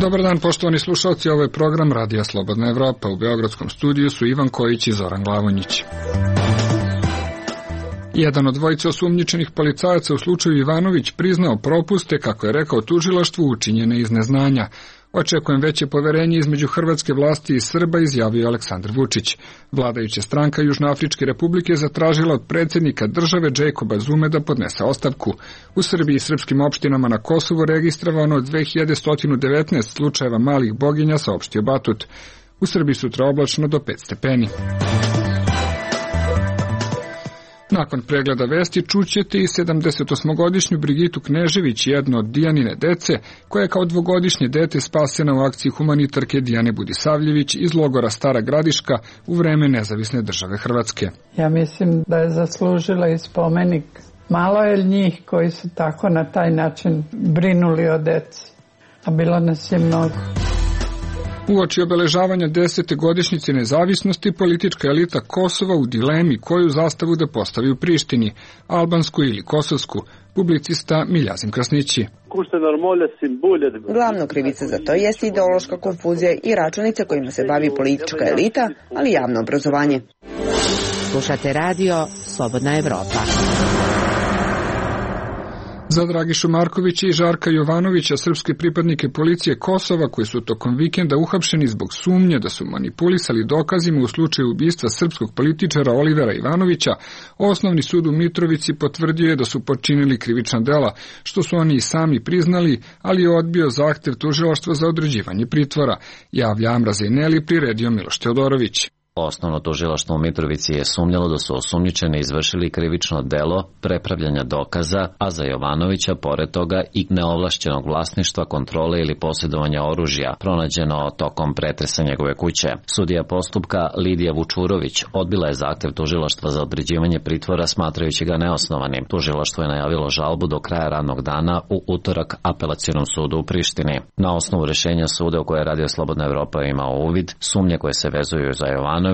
Dobar dan, poštovani slušalci, ovo je program Radija Slobodna Evropa. U beogradskom studiju su Ivan Kojić i Zoran Glavonjić. Jedan od dvojice osumnjičenih policajaca u slučaju Ivanović priznao propuste, kako je rekao tužilaštvu, učinjene iz neznanja. Očekujem veće poverenje između hrvatske vlasti i Srba, izjavio Aleksandar Vučić. Vladajuća stranka Južnoafričke republike zatražila od predsjednika države Jacoba Zume da podnese ostavku. U Srbiji i srpskim opštinama na Kosovu registrovano 2119 slučajeva malih boginja, saopštio Batut. U Srbiji sutra oblačno do 5 stepeni. Nakon pregleda vesti čućete i 78-godišnju Brigitu Knežević, jedno od Dijanine dece, koja je kao dvogodišnje dete spasena u akciji humanitarke Dijane Budisavljević iz logora Stara Gradiška u vreme Nezavisne države Hrvatske. Ja mislim da je zaslužila i spomenik. Malo je njih koji su tako na taj način brinuli o deci, a bilo nas je mnogo. Uoči obeležavanja 10. godišnjice nezavisnosti, politička elita Kosova u dilemi koju zastavu da postavi u Prištini, albansku ili kosovsku, publicista Miljazin Krasnići. Glavna krivica za to jeste ideološka konfuzija i računice kojima se bavi politička elita, ali javno obrazovanje. Slušate radio Slobodna Evropa. Za Dragišu Markovića i Žarka Jovanovića, srpske pripadnike policije Kosova, koji su tokom vikenda uhapšeni zbog sumnje da su manipulisali dokazima u slučaju ubistva srpskog političara Olivera Ivanovića, Osnovni sud u Mitrovici potvrdio je da su počinili krivična dela, što su oni i sami priznali, ali je odbio zahtev tužilaštva za određivanje pritvora, javlja Amra Zejneli, priredio Miloš Teodorović. Osnovno tužilaštvo u Mitrovici je sumnjalo da su osumnjičeni izvršili krivično delo prepravljanja dokaza, a za Jovanovića pored toga i neovlašćenog vlasništva, kontrole ili posjedovanja oružja, pronađeno tokom pretresa njegove kuće. Sudija postupka Lidija Vučurović odbila je zahtev tužilaštva za određivanje pritvora smatrajući ga neosnovanim. Tužilaštvo je najavilo žalbu do kraja radnog dana u utorak Apelacionom sudu u Prištini. Na osnovu rešenja suda u koje je Radio Slobodna Evropa imao uvid, sumnje koje se vezuju za Jovanovića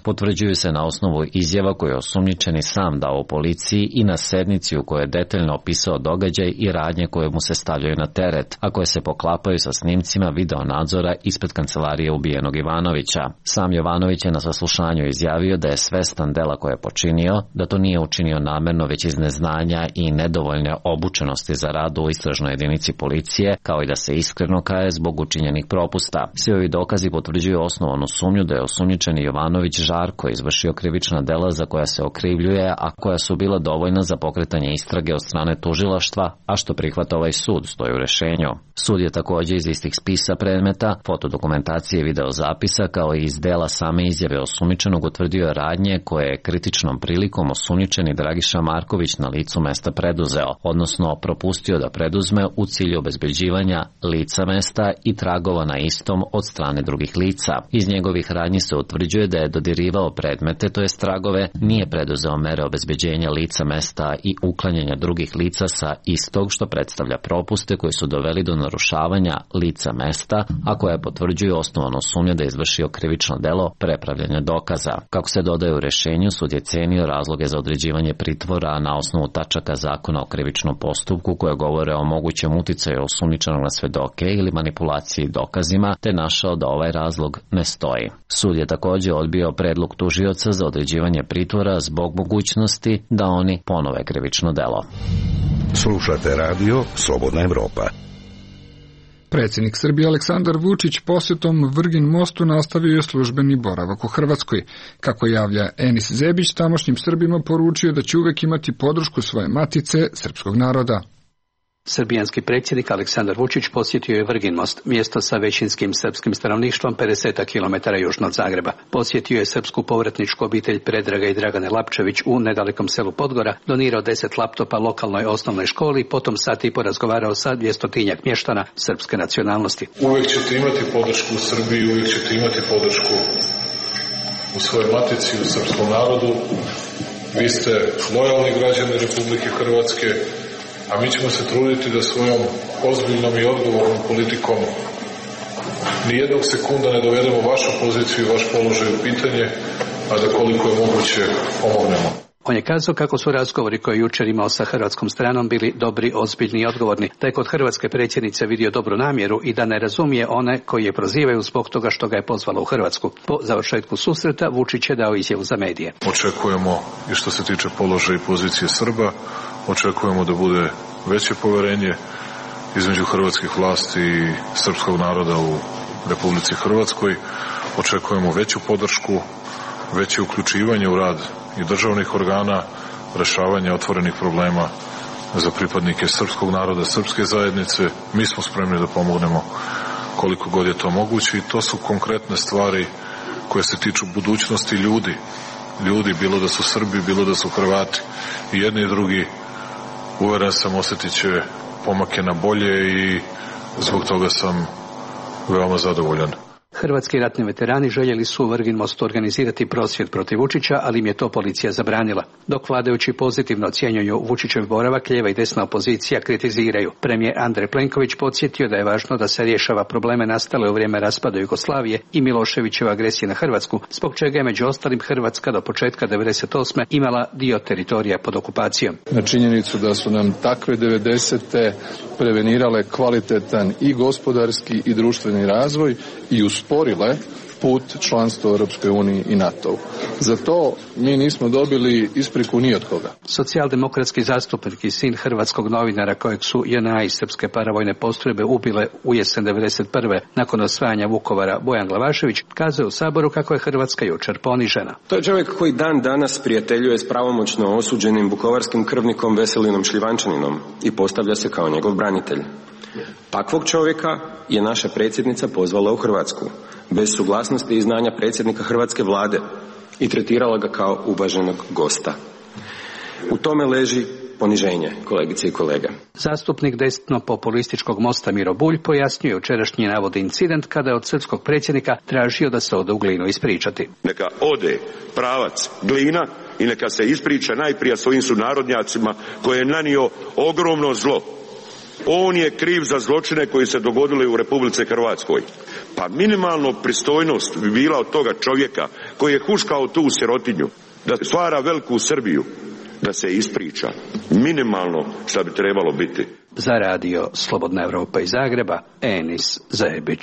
potvrđuju se na osnovu izjava koje je osumnjičeni sam dao u policiji i na sednici u kojoj je detaljno opisao događaj i radnje koje mu se stavljaju na teret, a koje se poklapaju sa snimcima video nadzora ispred kancelarije ubijenog Ivanovića. Sam Jovanović je na saslušanju izjavio da je svestan dela koje je počinio, da to nije učinio namerno već iz neznanja i nedovoljne obučenosti za rad u istražnoj jedinici policije, kao i da se iskreno kaje zbog učinjenih propusta. Svi ovi dokazi potvrđuju osnovanu sumnju da je osumnjičeni Jovanović Žarko izvršio krivična dela za koja se okrivljuje, a koja su bila dovoljna za pokretanje istrage od strane tužilaštva, a što prihvata ovaj sud, stoji u rešenju. Sud je također iz istih spisa predmeta, fotodokumentacije i videozapisa, kao i iz dela same izjave osumnjičenog utvrdio radnje koje je kritičnom prilikom osumnjičeni Dragiša Marković na licu mesta preduzeo, odnosno propustio da preduzme u cilju obezbeđivanja lica mesta i tragova na istom od strane drugih lica. Iz njegovih radnji se utvrđuje da je dodirivao predmete, to jest tragove, nije preduzeo mere obezbeđenja lica mesta i uklanjanja drugih lica sa istog, što predstavlja propuste koji su doveli do narušavanja lica mesta, a koja potvrđuju osnovanu sumnju da je izvršio krivično delo prepravljanja dokaza. Kako se dodaje u rešenju, sud je cenio razloge za određivanje pritvora na osnovu tačaka zakona o krivičnom postupku koje govore o mogućem uticaju osumnjičenog na svedoke ili manipulaciji dokazima, te našao da ovaj razlog ne stoji. Sud je također odbio predlog tužioca za određivanje pritvora zbog mogućnosti da oni ponove krivično delo. Slušate radio Slobodna Evropa. Predsjednik Srbije Aleksandar Vučić posjetom Vrgin mostu nastavio je službeni boravak u Hrvatskoj. Kako javlja Enis Zebić, tamošnjim Srbima poručio da će uvek imati podršku svoje matice, srpskog naroda. Srbijanski predsjednik Aleksandar Vučić posjetio je Vrgin most, mjesto sa većinskim srpskim stanovništvom 50 km južno od Zagreba. Posjetio je srpsku povratničku obitelj Predraga i Dragane Lapčević u nedalekom selu Podgora, donirao 10 laptopa lokalnoj osnovnoj školi, potom sat i porazgovarao sa 200-tinjak mještana srpske nacionalnosti. Uvijek ćete imati podršku u Srbiji, uvijek ćete imati podršku u svojoj matici, u srpskom narodu. Vi ste lojalni građani Republike Hrvatske, a mi ćemo se truditi da svojom ozbiljnom i odgovornom politikom nijednog sekunda ne dovedemo vašu poziciju i vaš položaj u pitanje, a da koliko je moguće pomognemo. On je kazao kako su razgovori koje je jučer imao sa hrvatskom stranom bili dobri, ozbiljni i odgovorni, da je kod hrvatske predsjednice vidio dobru namjeru i da ne razumije one koji je prozivaju zbog toga što ga je pozvala u Hrvatsku. Po završetku susreta Vučić je dao izjavu za medije. Očekujemo i što se tiče položaja i pozicije Srba, očekujemo da bude veće poverenje između hrvatskih vlasti i srpskog naroda u Republici Hrvatskoj. Očekujemo veću podršku, veće uključivanje u rad i državnih organa, rešavanje otvorenih problema za pripadnike srpskog naroda, srpske zajednice. Mi smo spremni da pomognemo koliko god je to moguće i to su konkretne stvari koje se tiču budućnosti ljudi, bilo da su Srbi, bilo da su Hrvati. I jedni i drugi, uveren sam, osjetit će pomake na bolje i zbog toga sam veoma zadovoljan. Hrvatski ratni veterani željeli su u Vrgin Mostu organizirati prosvjed protiv Vučića, ali im je to policija zabranila. Dok vladajući pozitivno ocjenjuju Vučićev boravak, lijeva i desna opozicija kritiziraju. Premijer Andrej Plenković podsjetio da je važno da se rješava probleme nastale u vrijeme raspada Jugoslavije i Miloševićeve agresije na Hrvatsku, zbog čega je među ostalim Hrvatska do početka 1998. imala dio teritorija pod okupacijom. Na činjenicu da su nam takve 90. prevenirale kvalitetan i gospodarski i društveni razvoj i usporile put članstva u Europskoj uniji i NATO-u. Za to mi nismo dobili ispriku ni od koga. Socijaldemokratski zastupnik i sin hrvatskog novinara kojeg su JNA i srpske paravojne postrojbe ubile u jesen 1991. nakon osvajanja Vukovara, Bojan Glavašević, kazao u Saboru kako je Hrvatska jučer ponižena. To je čovjek koji dan danas prijateljuje s pravomoćno osuđenim vukovarskim krvnikom Veselinom Šljivančaninom i postavlja se kao njegov branitelj. Takvog čovjeka je naša predsjednica pozvala u Hrvatsku, bez suglasnosti i znanja predsjednika hrvatske vlade i tretirala ga kao uvaženog gosta. U tome leži poniženje, kolegice i kolege. Zastupnik desno-populističkog Mosta Miro Bulj pojasnjuje jučerašnji navodni incident kada je od srpskog predsjednika tražio da se ode u Glinu ispričati. Neka ode pravac Glina i neka se ispriča najprije svojim sunarodnjacima koje je nanio ogromno zlo. On je kriv za zločine koji se dogodili u Republici Hrvatskoj. Pa minimalno pristojnost bi bila od toga čovjeka koji je huškao tu sirotinju, da stvara veliku Srbiju, da se ispriča. Minimalno što bi trebalo biti. Za radio Slobodna Evropa iz Zagreba, Enis Zajebić.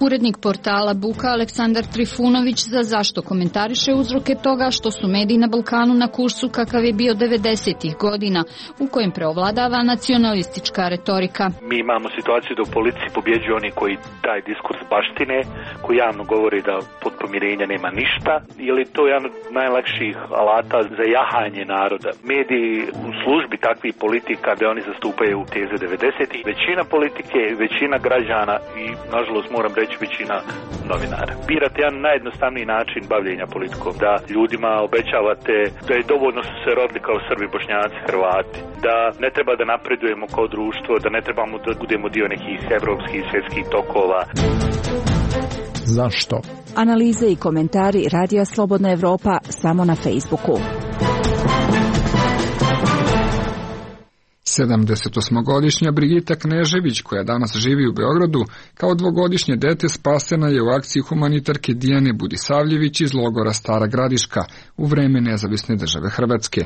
Urednik portala Buka Aleksandar Trifunović za Zašto komentariše uzroke toga što su mediji na Balkanu na kursu kakav je bio 90-ih godina, u kojem preovladava nacionalistička retorika. Mi imamo situaciju da u policiji pobjeđuju oni koji taj diskurs baštine, koji javno govore da pod pomirenja nema ništa, ili to je jedan od najlakših alata za jahanje naroda. Mediji u službi takvih politika da oni zastupaju teze 90-ih, većina politike, većina građana i, nažalost, moram reći, većina novinara. Birate jedan najjednostavniji način bavljenja politikom, da ljudima obećavate da je dovoljno su se rodili kao Srbi, Bošnjaci, Hrvati, da ne treba da napredujemo kao društvo, da ne trebamo da budemo dio nekih evropskih i svjetskih tokova. Zašto? Analize i komentari Radija Slobodna Evropa samo na Facebooku. 78-godišnja Brigita Knežević, koja danas živi u Beogradu, kao dvogodišnje dete spasena je u akciji humanitarke Dijane Budisavljević iz logora Stara Gradiška u vreme Nezavisne države Hrvatske.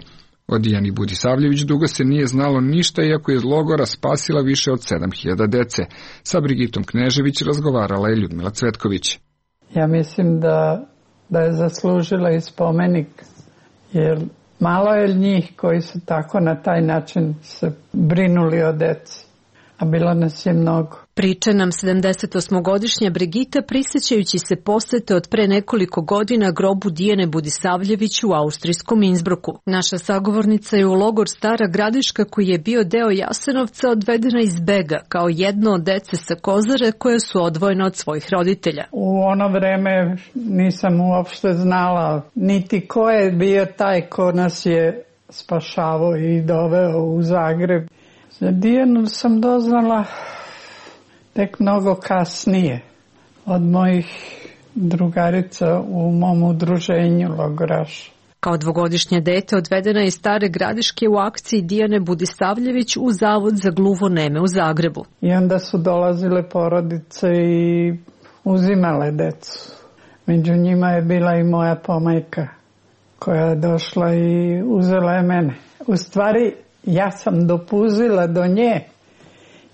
O Dijani Budisavljević dugo se nije znalo ništa, iako je iz logora spasila više od 7000 dece. Sa Brigitom Knežević razgovarala je Ljudmila Cvetković. Ja mislim da je zaslužila i spomenik, jer malo je njih koji su tako na taj način se brinuli o deci, a bilo nas je mnogo. Priča nam 78-godišnja Brigita prisjećajući se posete od pre nekoliko godina grobu Dijane Budisavljević u austrijskom Innsbrucku. Naša sagovornica je u logor Stara Gradiška, koji je bio deo Jasenovca, odvedena iz bega kao jedno od dece sa Kozare koje su odvojene od svojih roditelja. U ono vreme nisam uopšte znala niti ko je bio taj ko nas je spašavao i doveo u Zagreb. Za Dijanu sam doznala tek mnogo kasnije od mojih drugarica u mom udruženju logoraša. Kao dvogodišnje dete odvedena je iz Stare Gradiške u akciji Dijane Budisavljević u Zavod za gluvoneme u Zagrebu. I onda su dolazile porodice i uzimale decu. Među njima je bila i moja pomajka koja je došla i uzela je mene. U stvari, ja sam dopuzila do nje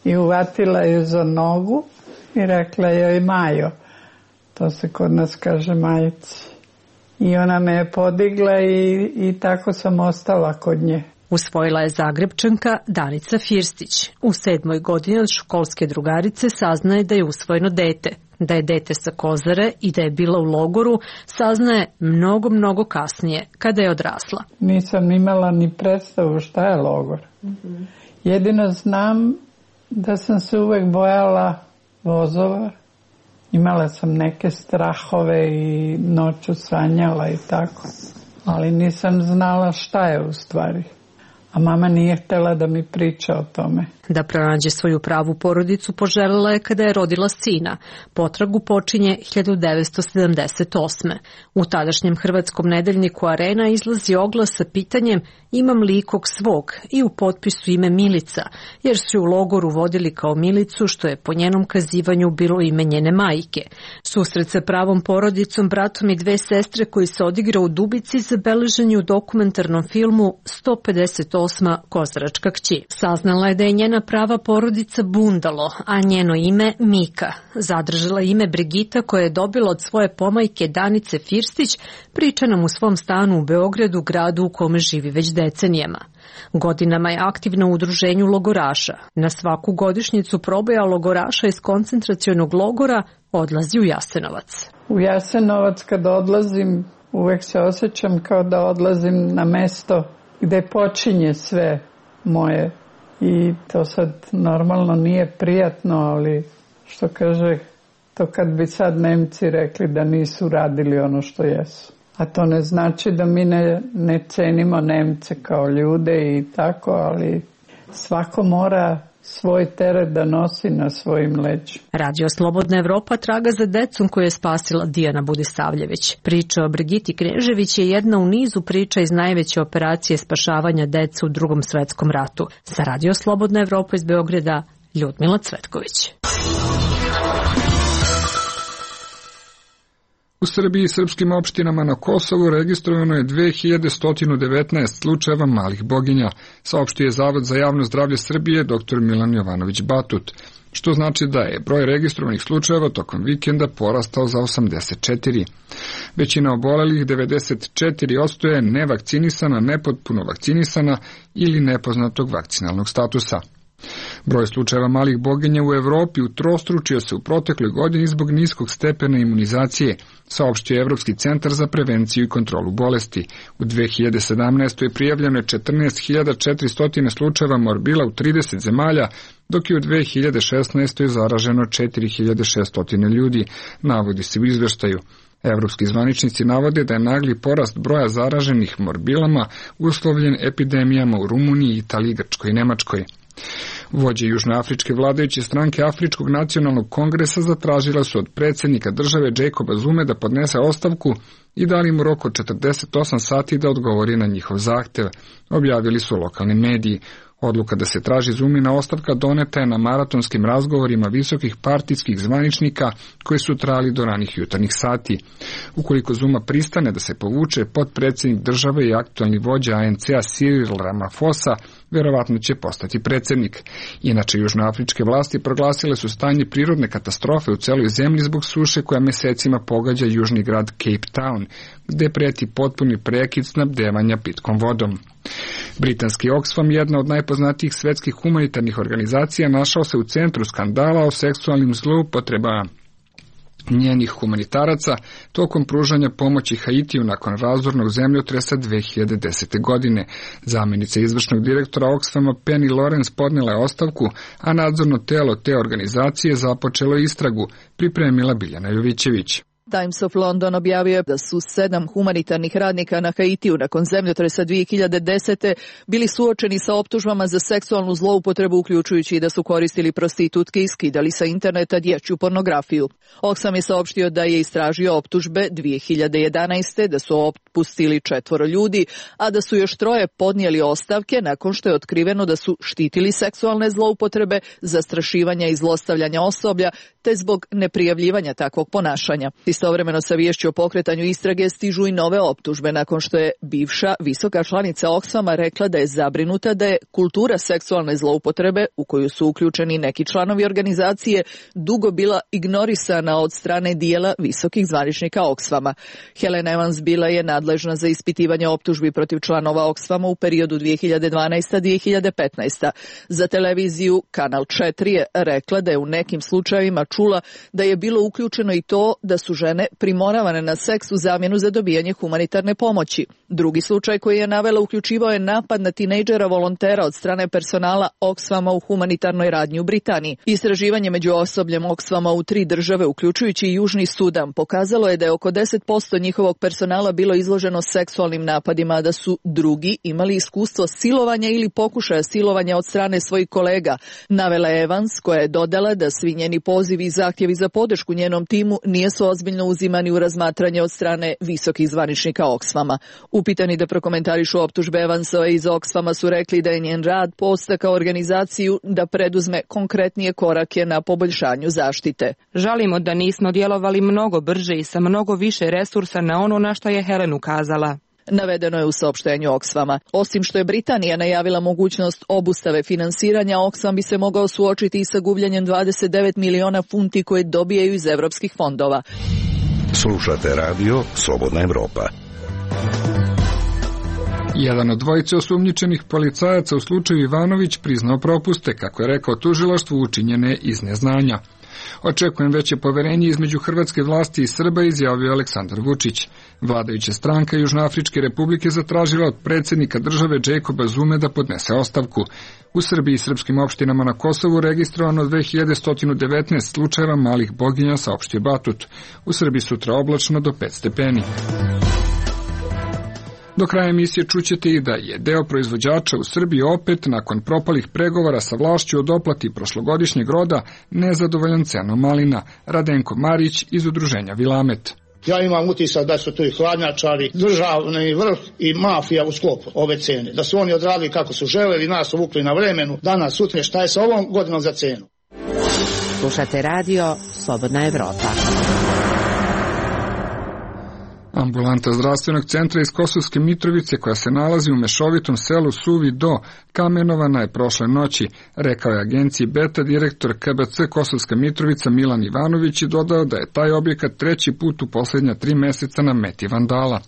i uvatila je za nogu i rekla joj Majo. To se kod nas kaže majici. I ona me je podigla i tako sam ostala kod nje. Usvojila je Zagrebčanka Danica Firstić. U 7. godini od školske drugarice saznaje da je usvojeno dete. Da je dete sa Kozare i da je bila u logoru saznaje mnogo kasnije, kada je odrasla. Nisam imala ni predstavu šta je logor. Jedino znam da sam se uvek bojala vozova. Imala sam neke strahove i noću sanjala i tako. Ali nisam znala šta je u stvari. A mama nije htjela da mi priča o tome. Da pronađe svoju pravu porodicu poželjela je kada je rodila sina. Potragu počinje 1978. U tadašnjem hrvatskom nedeljniku Arena izlazi oglas sa pitanjem imam li ikog svog i u potpisu ime Milica, jer su u logoru vodili kao Milicu, što je po njenom kazivanju bilo ime njene majke. Susret sa pravom porodicom, bratom i 2 sestre koji se odigra u Dubici zabeležen je u dokumentarnom filmu 158. Kozaračka kći. Saznala je da je njena prava porodica Bundalo, a njeno ime Mika. Zadržala ime Brigita koje je dobila od svoje pomajke Danice Firstić, priča nam u svom stanu u Beogradu, gradu u kome živi već decenijama. Godinama je aktivna u udruženju logoraša. Na svaku godišnjicu proboja logoraša iz koncentracionog logora odlazi u Jasenovac. U Jasenovac kad odlazim uvek se osjećam kao da odlazim na mesto gde počinje sve moje. I to sad normalno nije prijatno, ali što kaže, to kad bi sad Nemci rekli da nisu radili ono što jesu. A to ne znači da mi ne cenimo Nemce kao ljude i tako, ali svako mora svoj teret da nosi na svojim leđima. Radio Slobodna Evropa traga za decom koju je spasila Dijana Budisavljević. Priča o Brigiti Knežević je jedna u nizu priča iz najveće operacije spašavanja dece u Drugom svetskom ratu. Za Radio Slobodna Evropa iz Beograda, Ljudmila Cvetković. U Srbiji i srpskim opštinama na Kosovu registrovano je 2119 slučajeva malih boginja, saopštio je Zavod za javno zdravlje Srbije dr. Milan Jovanović Batut, što znači da je broj registrovanih slučajeva tokom vikenda porastao za 84. Većina obolelih, 94%, je nevakcinisana, nepotpuno vakcinisana ili nepoznatog vakcinalnog statusa. Broj slučajeva malih boginja u Evropi utrostručio se u protekloj godini zbog niskog stepena imunizacije, saopštio je Evropski centar za prevenciju i kontrolu bolesti. U 2017. prijavljeno je 14.400 slučajeva morbila u 30 zemalja, dok je u 2016. zaraženo 4.600 ljudi, navodi se u izveštaju. Evropski zvaničnici navode da je nagli porast broja zaraženih morbilama uslovljen epidemijama u Rumuniji, Italiji, Grčkoj i Nemačkoj. Vođe južnoafričke vladajuće stranke Afričkog nacionalnog kongresa zatražila su od predsjednika države Jacoba Zume da podnese ostavku i dali mu rok od 48 sati da odgovori na njihov zahtev, objavili su lokalni mediji. Odluka da se traži Zumina ostavka doneta je na maratonskim razgovorima visokih partijskih zvaničnika koji su trajali do ranih jutarnjih sati. Ukoliko Zuma pristane da se povuče, potpredsjednik države i aktualni vođa ANC-a Cyril Ramaphosa verovatno će postati predsjednik. Inače, južnoafričke vlasti proglasile su stanje prirodne katastrofe u celoj zemlji zbog suše koja mesecima pogađa južni grad Cape Town, gde preti potpuni prekid snabdevanja pitkom vodom. Britanski Oxfam, jedna od najpoznatijih svetskih humanitarnih organizacija, našao se u centru skandala o seksualnim zloupotrebama njenih humanitaraca tokom pružanja pomoći Haitiju nakon razornog zemljotresa 2010. godine. Zamjenica izvršnog direktora Oxfama Penny Lawrence podnela je ostavku, a nadzorno telo te organizacije započelo istragu, pripremila Biljana Jovićević. Times of London objavio je da su 7 humanitarnih radnika na Haitiju nakon zemljotresa 2010. bili suočeni sa optužbama za seksualnu zloupotrebu, uključujući i da su koristili prostitutke i skidali sa interneta dječju pornografiju. Oxfam je saopštio da je istražio optužbe 2011. da su otpustili 4 ljudi, a da su još 3 podnijeli ostavke nakon što je otkriveno da su štitili seksualne zloupotrebe, zastrašivanja i zlostavljanja osoblja, te zbog neprijavljivanja takvog ponašanja. Istovremeno sa viješću o pokretanju istrage stižu i nove optužbe nakon što je bivša visoka članica Oxfama rekla da je zabrinuta da je kultura seksualne zloupotrebe u koju su uključeni neki članovi organizacije dugo bila ignorisana od strane dijela visokih zvaničnika Oxfama. Helen Evans bila je nadležna za ispitivanje optužbi protiv članova Oxfama u periodu 2012-2015. Za televiziju Kanal 4 je rekla da je u nekim slučajevima čula da je bilo uključeno i to da su žene primoravane na seks u zamjenu za dobijanje humanitarne pomoći. Drugi slučaj koji je navela uključivao je napad na tinejdžera volontera od strane personala Oxfama u humanitarnoj radnji u Britaniji. Istraživanje među osobljem Oxfama u 3 države, uključujući i Južni Sudan, pokazalo je da je oko 10% njihovog personala bilo izloženo seksualnim napadima, a da su drugi imali iskustvo silovanja ili pokušaja silovanja od strane svojih kolega. Navela je Evans, koja je dodala da svi njeni pozivi i zahtjevi za podršku njenom timu nisu ozbiljno uzimani u razmatranje od strane visokih zvaničnika Oxfama. Upitani da prokomentarišu optužbe Evansova iz Oxfama su rekli da je njen rad podstakao organizaciju da preduzme konkretnije korake na poboljšanju zaštite. Žalimo da nismo djelovali mnogo brže i sa mnogo više resursa na ono na što je Helen ukazala. Navedeno je u saopštenju Oxfama. Osim što je Britanija najavila mogućnost obustave finansiranja, Oxfam bi se mogao suočiti i sa gubljenjem 29 miliona funti koje dobijaju iz evropskih fondova. Slušate radio Slobodna Evropa. Jedan od dvojice osumnjičenih policajaca u slučaju Ivanović priznao propuste, kako je rekao tužilaštvu, učinjene iz neznanja. Očekujem veće poverenje između hrvatske vlasti i Srba, izjavio Aleksandar Vučić. Vladajuća stranka Južnoafričke republike zatražila od predsjednika države Jacoba Zume da podnese ostavku. U Srbiji i srpskim opštinama na Kosovu registrovano 2119 slučajeva malih boginja, saopštio Batut. U Srbiji sutra oblačno do 5 stepeni. Do kraja emisije čućete i da je deo proizvođača u Srbiji opet, nakon propalih pregovora sa vlašću o doplati prošlogodišnjeg roda, nezadovoljan cenom malina. Radenko Marić iz udruženja Vilamet. Ja imam utisak da su tu i hladnjačari, državni vrh i mafija u sklopu ove cene. Da su oni odradili kako su želeli, nas uvukli na vremenu, danas, sutra, šta je sa ovom godinom za cenu. Slušate radio Slobodna Evropa. Ambulanta zdravstvenog centra iz Kosovske Mitrovice, koja se nalazi u mešovitom selu Suvi Do, kamenovana je prošle noći, rekao je agenciji Beta direktor KBC Kosovska Mitrovica Milan Ivanović i dodao da je taj objekat 3. put u posljednja 3 meseca na meti vandala.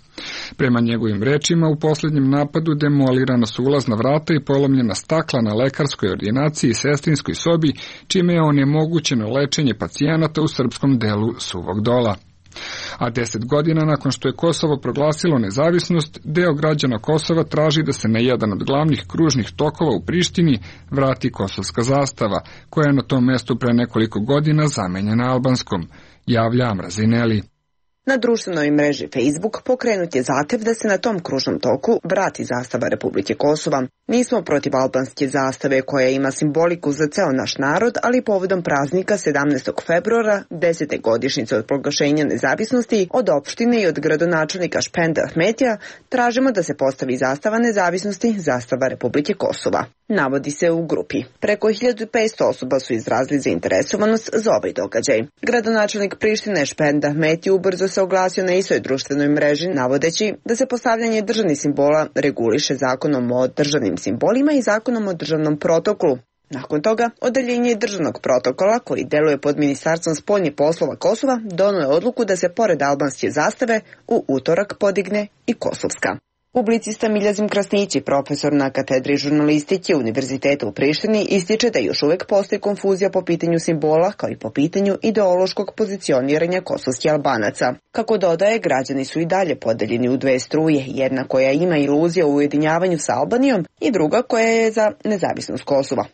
Prema njegovim rečima, u posljednjem napadu demolirana su ulazna vrata i polomljena stakla na lekarskoj ordinaciji i sestrinskoj sobi, čime je onemogućeno lečenje pacijenata u srpskom delu Suvog Dola. A 10 godina nakon što je Kosovo proglasilo nezavisnost, deo građana Kosova traži da se na jedan od glavnih kružnih tokova u Prištini vrati kosovska zastava, koja je na tom mestu pre nekoliko godina zamenjena albanskom, javlja Amrazineli. Na društvenoj mreži Facebook pokrenut je zahtev da se na tom kružnom toku vrati zastava Republike Kosova. Nismo protiv albanske zastave koja ima simboliku za ceo naš narod, ali povodom praznika 17. februara, 10. godišnjice od proglašenja nezavisnosti, od opštine i od gradonačelnika Špenda Ahmetija, tražimo da se postavi zastava nezavisnosti, zastava Republike Kosova. Navodi se u grupi. Preko 1500 osoba su izrazili zainteresovanost za ovaj događaj. Gradonačelnik Prištine Špenda Ahmeti ubrzo se oglasio na istoj društvenoj mreži, navodeći da se postavljanje državnih simbola reguliše zakonom o državnim simbolima i zakonom o državnom protokolu. Nakon toga, odeljenje državnog protokola, koji deluje pod Ministarstvom spoljnih poslova Kosova, donio je odluku da se pored albanske zastave u utorak podigne i kosovska. Publicista Miljazim Krasnići, profesor na katedri žurnalistike Univerziteta u Prištini, ističe da još uvek postoji konfuzija po pitanju simbola, kao i po pitanju ideološkog pozicioniranja kosovskih Albanaca. Kako dodaje, građani su i dalje podeljeni u 2 struje, jedna koja ima iluzija o ujedinjavanju sa Albanijom i druga koja je za nezavisnost Kosova.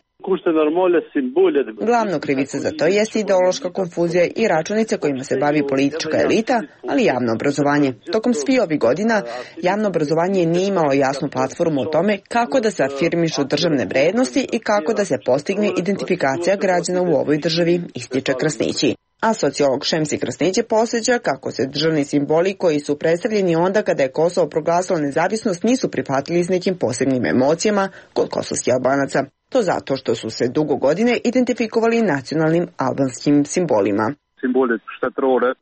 Glavna krivica za to jeste ideološka konfuzija i računice kojima se bavi politička elita, ali javno obrazovanje. Tokom svih ovih godina javno obrazovanje nije imalo jasnu platformu o tome kako da se afirmišu državne vrednosti i kako da se postigne identifikacija građana u ovoj državi, ističe Krasnići. A sociolog Šemsi Krasnići posjeća kako se državni simboli koji su predstavljeni onda kada je Kosovo proglasilo nezavisnost nisu prihvatili s nekim posebnim emocijama kod kosovskih Albanaca. To zato što su se dugo godine identifikovali nacionalnim albanskim simbolima.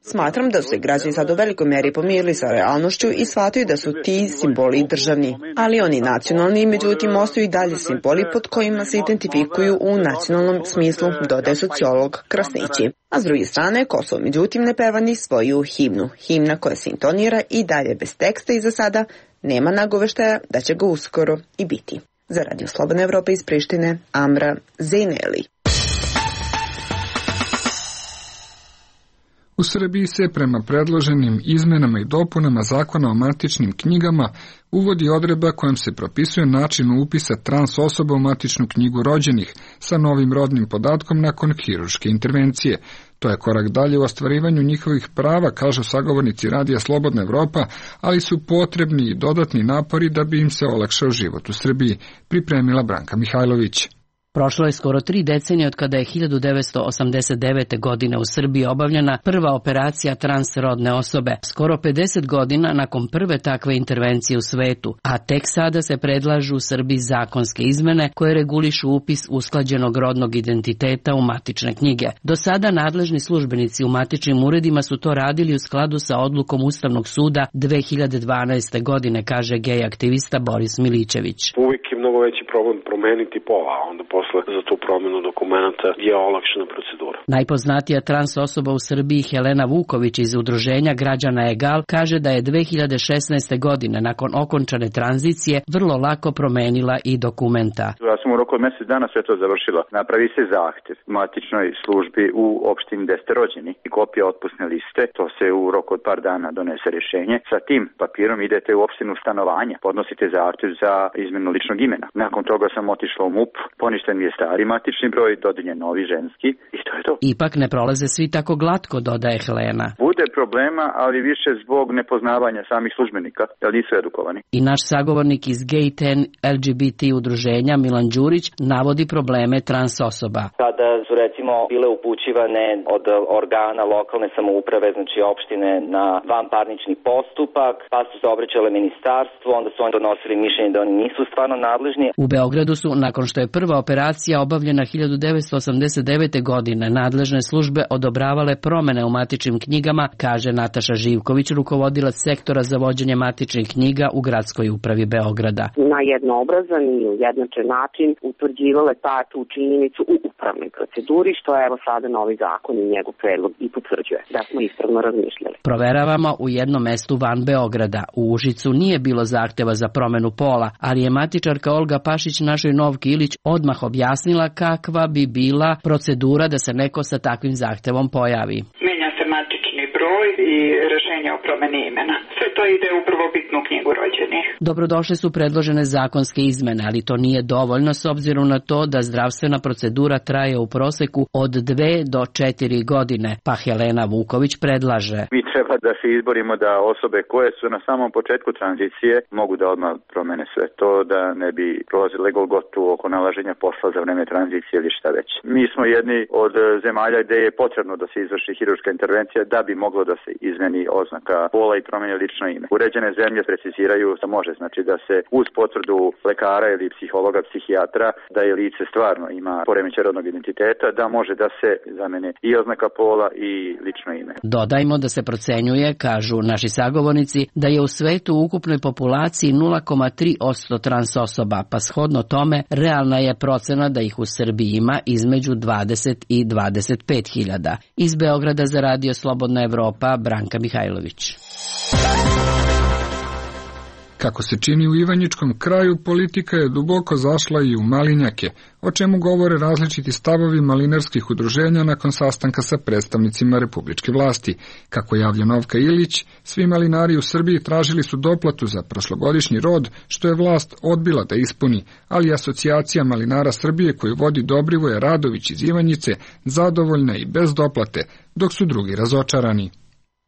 Smatram da su se građani sad u velikoj meri pomirili sa realnošću i shvataju da su ti simboli državni, ali oni nacionalni, međutim ostaju i dalje simboli pod kojima se identifikuju u nacionalnom smislu, dodaje sociolog Krasnići. A s druge strane, Kosovo međutim ne peva ni svoju himnu. Himna koja se intonira i dalje bez teksta i za sada nema nagoveštaja da će ga uskoro i biti. Za Radio Slobodna Evropa iz Prištine, Amra Zejneli. U Srbiji se prema predloženim izmenama i dopunama Zakona o matičnim knjigama uvodi odredba kojom se propisuje način upisa trans osoba u matičnu knjigu rođenih sa novim rodnim podatkom nakon hirurške intervencije. To je korak dalje u ostvarivanju njihovih prava, kažu sagovornici Radija Slobodna Evropa, ali su potrebni i dodatni napori da bi im se olakšao život u Srbiji, pripremila Branka Mihajlović. Prošlo je skoro 3 decenije od kada je 1989. godine u Srbiji obavljena prva operacija transrodne osobe, skoro 50 godina nakon prve takve intervencije u svetu, a tek sada se predlažu u Srbiji zakonske izmene koje regulišu upis usklađenog rodnog identiteta u matične knjige. Do sada nadležni službenici u matičnim uredima su to radili u skladu sa odlukom Ustavnog suda 2012. godine, kaže gej aktivista Boris Milićević. Uvijek je mnogo veći problem promeniti pola, a onda posle za tu promjenu dokumenta je olakšana procedura. Najpoznatija trans osoba u Srbiji Helena Vuković iz udruženja Građana Egal kaže da je 2016. godine nakon okončane tranzicije vrlo lako promenila i dokumenta. Ja sam u roku od mjesec dana sve to završila. Napravi se zahtjev matičnoj službi u opštini gde ste rođeni i kopija otpusne liste, to se u roku od par dana donese rješenje. Sa tim papirom idete u opštinu stanovanja, podnosite zahtjev za izmenu ličnog imena. Nakon toga sam otišla u MUP, poništen mi je stari matični broj, dodeljen novi ženski i to je to. Ipak ne prolaze svi tako glatko, dodaje Helena. Bude problema, ali više zbog nepoznavanja samih službenika, jer nisu edukovani. I naš sagovornik iz Gay 10 LGBT udruženja Milan Đurić navodi probleme trans osoba. Kada su recimo bile upućivane od organa lokalne samouprave, znači opštine, na vanparnični postupak, pa su se obraćale ministarstvu, onda su oni donosili mišljenje da oni nisu stvarno nadležni. U Beogradu su, nakon što je prva operacija obavljena 1989. godine, nadležne službe odobravale promene u matičnim knjigama, kaže Nataša Živković, rukovodilac sektora za vođenje matičnih knjiga u Gradskoj upravi Beograda. Na jednoobrazan i ujednačen način utvrđivale tu činjenicu u upravnoj proceduri, što je evo sada novi zakon i njegov predlog i potvrđuje da smo ispravno razmišljali. Proveravamo u jednom mestu van Beograda. U Užicu nije bilo zahteva za promenu pola, ali je matičarka Olga Pašić našoj Novki Ilić odmah objasnila kakva bi bila procedura da se neko sa takvim zahtevom pojavi. Menja se matični broj i rješenje o promeni imena. Sve to ide u prvobitnu knjigu rođenih. Dobrodošle su predložene zakonske izmene, ali to nije dovoljno s obzirom na to da zdravstvena procedura traje u proseku od 2 do 4 godine, pa Helena Vuković predlaže. Mi treba da se izborimo da osobe koje su na samom početku tranzicije mogu da odmah promene sve to, da ne bi prolazile golgotu oko nalaženja posla za vreme tranzicije ili šta već. Mi smo jedni od zemalja gde je potrebno da se izvrši hirurška intervencija da bi moglo da se izmeni oznaka pola i promeni lično ime. Uređene zemlje preciziraju da može, znači da se uz potvrdu lekara ili psihologa, psihijatra, da je lice stvarno ima poremećaj rodnog identiteta, da može da se zamene i oznaka pola i lično ime. Dodajmo da se procenjuje, kažu naši sagovornici, da je u svetu u ukupnoj populaciji 0,3% trans osoba, pa shodno tome realna je procena da ih u Srbiji ima između 20 i 25 hiljada. Iz Beograda za Radio Slobodna Evropa, Branka Mihajlović. Kako se čini u Ivanjičkom kraju, politika je duboko zašla i u malinjake, o čemu govore različiti stavovi malinarskih udruženja nakon sastanka sa predstavnicima republičke vlasti. Kako javlja Novka Ilić, svi malinari u Srbiji tražili su doplatu za prošlogodišnji rod, što je vlast odbila da ispuni, ali asocijacija malinara Srbije koju vodi Dobrivoje Radović iz Ivanjice zadovoljna i bez doplate, dok su drugi razočarani.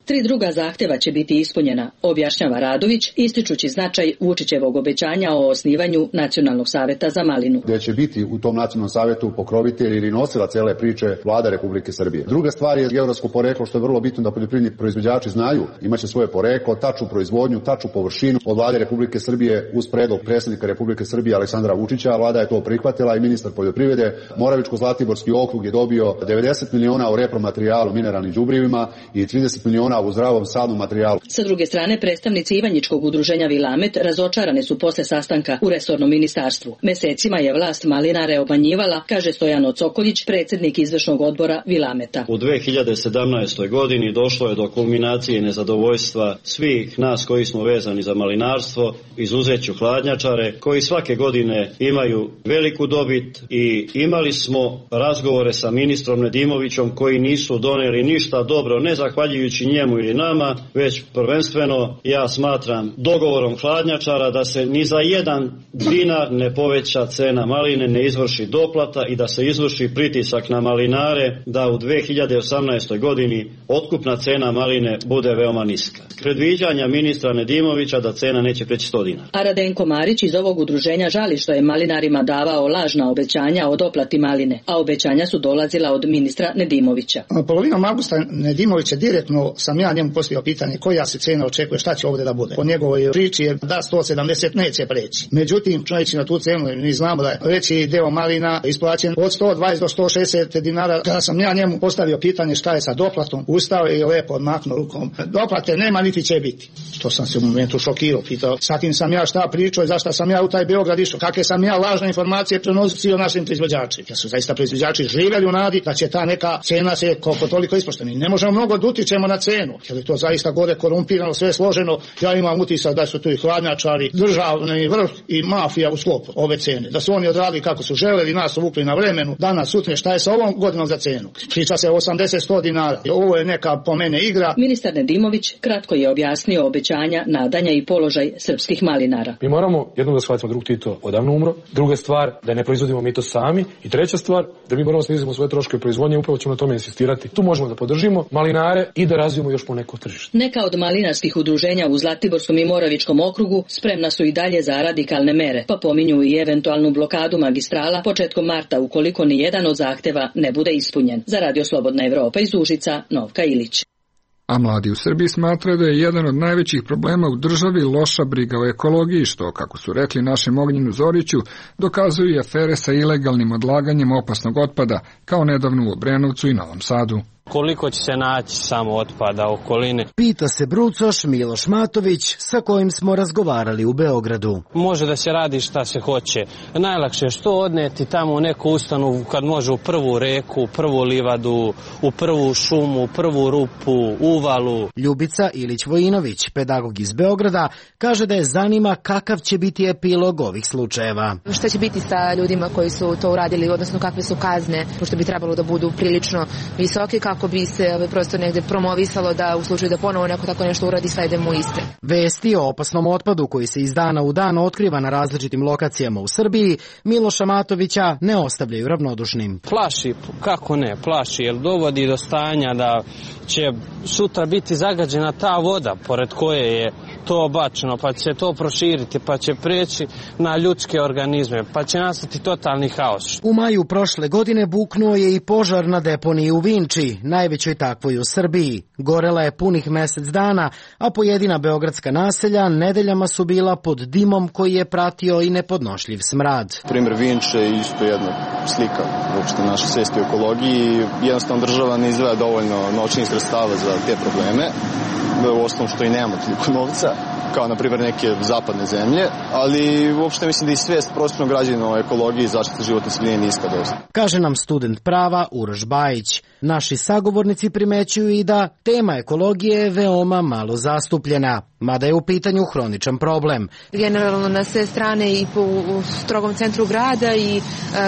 3 druga zahtjeva će biti ispunjena, objašnjava Radović, ističući značaj Vučićevog obećanja o osnivanju Nacionalnog saveta za malinu. Gdje će biti u tom Nacionalnom savetu pokrovitelj ili nosila cele priče Vlada Republike Srbije. Druga stvar je geografsko poreklo, što je vrlo bitno da poljoprivredni proizvođači znaju. Imaće svoje poreklo, tačnu proizvodnju, tačnu površinu od Vlade Republike Srbije uz predlog predsjednika Republike Srbije Aleksandra Vučića. Vlada je to prihvatila i ministar poljoprivrede. Moravičko-Zlatiborski okrug je dobio 90 miliona u repromaterijalu, mineralnim đubrivima i 30 miliona u zdravom sadnom materijalu. Sa druge strane, predstavnici Ivanjičkog udruženja Vilamet razočarani su posle sastanka u resornom ministarstvu. Mesecima je vlast malinare obmanjivala, kaže Stojan Ocokoljić, predsjednik izvršnog odbora Vilameta. U 2017. godini došlo je do kulminacije nezadovoljstva svih nas koji smo vezani za malinarstvo, izuzeću hladnjačare, koji svake godine imaju veliku dobit, i imali smo razgovore sa ministrom Nedimovićem koji nisu doneli ništa dobro, ne zahvaljujući njemu ili nama, već prvenstveno ja smatram dogovorom hladnjačara da se ni za 1 dinar ne poveća cena maline, ne izvrši doplata i da se izvrši pritisak na malinare da u 2018. godini otkupna cena maline bude veoma niska. Predviđanja ministra Nedimovića da cena neće preći 100 dinara. A Radenko Marić iz ovog udruženja žali što je malinarima davao lažna obećanja o doplati maline, a obećanja su dolazila od ministra Nedimovića. Polovinom avgusta Nedimovića direktno sam ja njemu postavio pitanje koja se cena očekuje, šta će ovdje da bude. Po njegovoj priči je da 170 neće preći. Međutim, čovječi na tu cenu, mi znamo da je veći deo malina isplaćen od 120 do 160 dinara. Kada sam ja njemu postavio pitanje šta je sa doplatom, ustao je i lepo odmaknuo rukom. Doplate nema niti će biti. Što sam se u momentu šokirao, pitao sa kim sam ja šta pričao i zašto sam ja u taj Beograd išao, kakve sam ja lažne informacije prenosio našim proizvođačima. Ja su zaista proizvođači živjeli u nadi da će ta neka cena se koliko toliko ispošteni. Ne možemo mnogo da utičemo na cenu, jer je to zaista gore korumpirano, sve složeno. Ja imam utisak da su tu i hladnjačari, državni vrh i mafija u sklopu ove cene. Da su oni odradili kako su želeli, nas uvukli na vremenu. Danas, sutra, šta je sa ovom godinom za cenu? Priča se o 80-100 dinara. Ovo je neka po mene igra. Ministar Nedimović kratko je objasnio obećanja, nadanja i položaj srpskih malinara. Mi moramo jednom da shvatimo drug Tito odavno umro, druga stvar da ne proizvodimo mi to sami i treća stvar da mi moramo snizimo svoje troškove proizvodnje, upravo ćemo na tome insistirati. Tu možemo da podržimo malinare i da razvijemo još po neko tržište. Neka od malinarskih udruženja u Zlatiborskom i Moravičkom okrugu spremna su i dalje za radikalne mere, pa pominju i eventualnu blokadu magistrala početkom marta ukoliko ni jedan od zahteva ne bude ispunjen. Za Radio Slobodna Evropa iz Užica, Novka Ilić. A mladi u Srbiji smatraju da je jedan od najvećih problema u državi loša briga o ekologiji, što, kako su rekli našem Ognjenu Zoriću, dokazuju i afere sa ilegalnim odlaganjem opasnog otpada, kao nedavno u Obrenovcu i Novom Sadu. Koliko će se naći samo otpada okoline? Pita se brucoš Miloš Matović, sa kojim smo razgovarali u Beogradu. Može da se radi šta se hoće. Najlakše je što odneti tamo u neku ustanovu kad može u prvu reku, u prvu livadu, u prvu šumu, u prvu rupu, uvalu. Ljubica Ilić-Vojinović, pedagog iz Beograda, kaže da je zanima kakav će biti epilog ovih slučajeva. Šta će biti sa ljudima koji su to uradili, odnosno kakve su kazne, pošto bi trebalo da budu prilično visoke, kako bi se prosto negde promovisalo da u slučaju da ponovo neko tako nešto uradi sve ide mu iste. Vesti o opasnom otpadu koji se iz dana u dan otkriva na različitim lokacijama u Srbiji Miloša Matovića ne ostavljaju ravnodušnim. Plaši, kako ne, plaši, jer dovodi do stanja da će sutra biti zagađena ta voda pored koje je to bačeno, pa će to proširiti, pa će preći na ljudske organizme, pa će nastati totalni haos. U maju prošle godine buknuo je i požar na deponiji u Vinči, najvećoj takvoj u Srbiji. Gorela je punih mesec dana, a pojedina beogradska naselja nedeljama su bila pod dimom koji je pratio i nepodnošljiv smrad. Primer Vinče je isto jedna slika uopšte naše svesti o ekologiji. Jednostavno država ne izdvaja dovoljno novčanih sredstava za te probleme. U osnovu što i nemamo toliko novca, kao na primjer neke zapadne zemlje, ali uopšte mislim da i svest prostornog građana o ekologiji i zaštiti životne sredine niska dosta. Kaže nam student prava Uroš Bajić. Naši sagovornici primećuju i da tema ekologije je veoma malo zastupljena, mada je u pitanju hroničan problem. Generalno na sve strane i u strogom centru grada i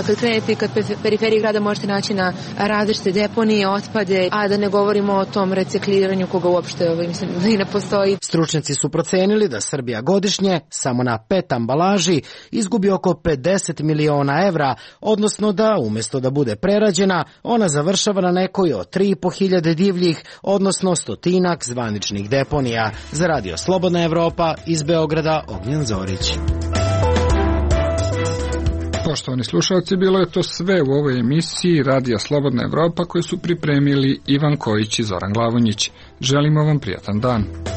kad krenete i kad periferiji grada možete naći na različite deponije, otpade, a da ne govorimo o tom recikliranju koga uopšte mislim, i ne postoji. Stručnjaci su procenili procenili da Srbija godišnje, samo na PET ambalaži, izgubi oko 50 miliona evra, odnosno da, umjesto da bude prerađena, ona završava na nekoj od 3.500 divljih, odnosno 100 zvaničnih deponija. Za Radio Slobodna Evropa, iz Beograda, Ognjen Zorić. Poštovani slušalci, bilo je to sve u ovoj emisiji Radija Slobodna Evropa koju su pripremili Ivan Kojić i Zoran Glavonjić. Želimo vam prijatan dan.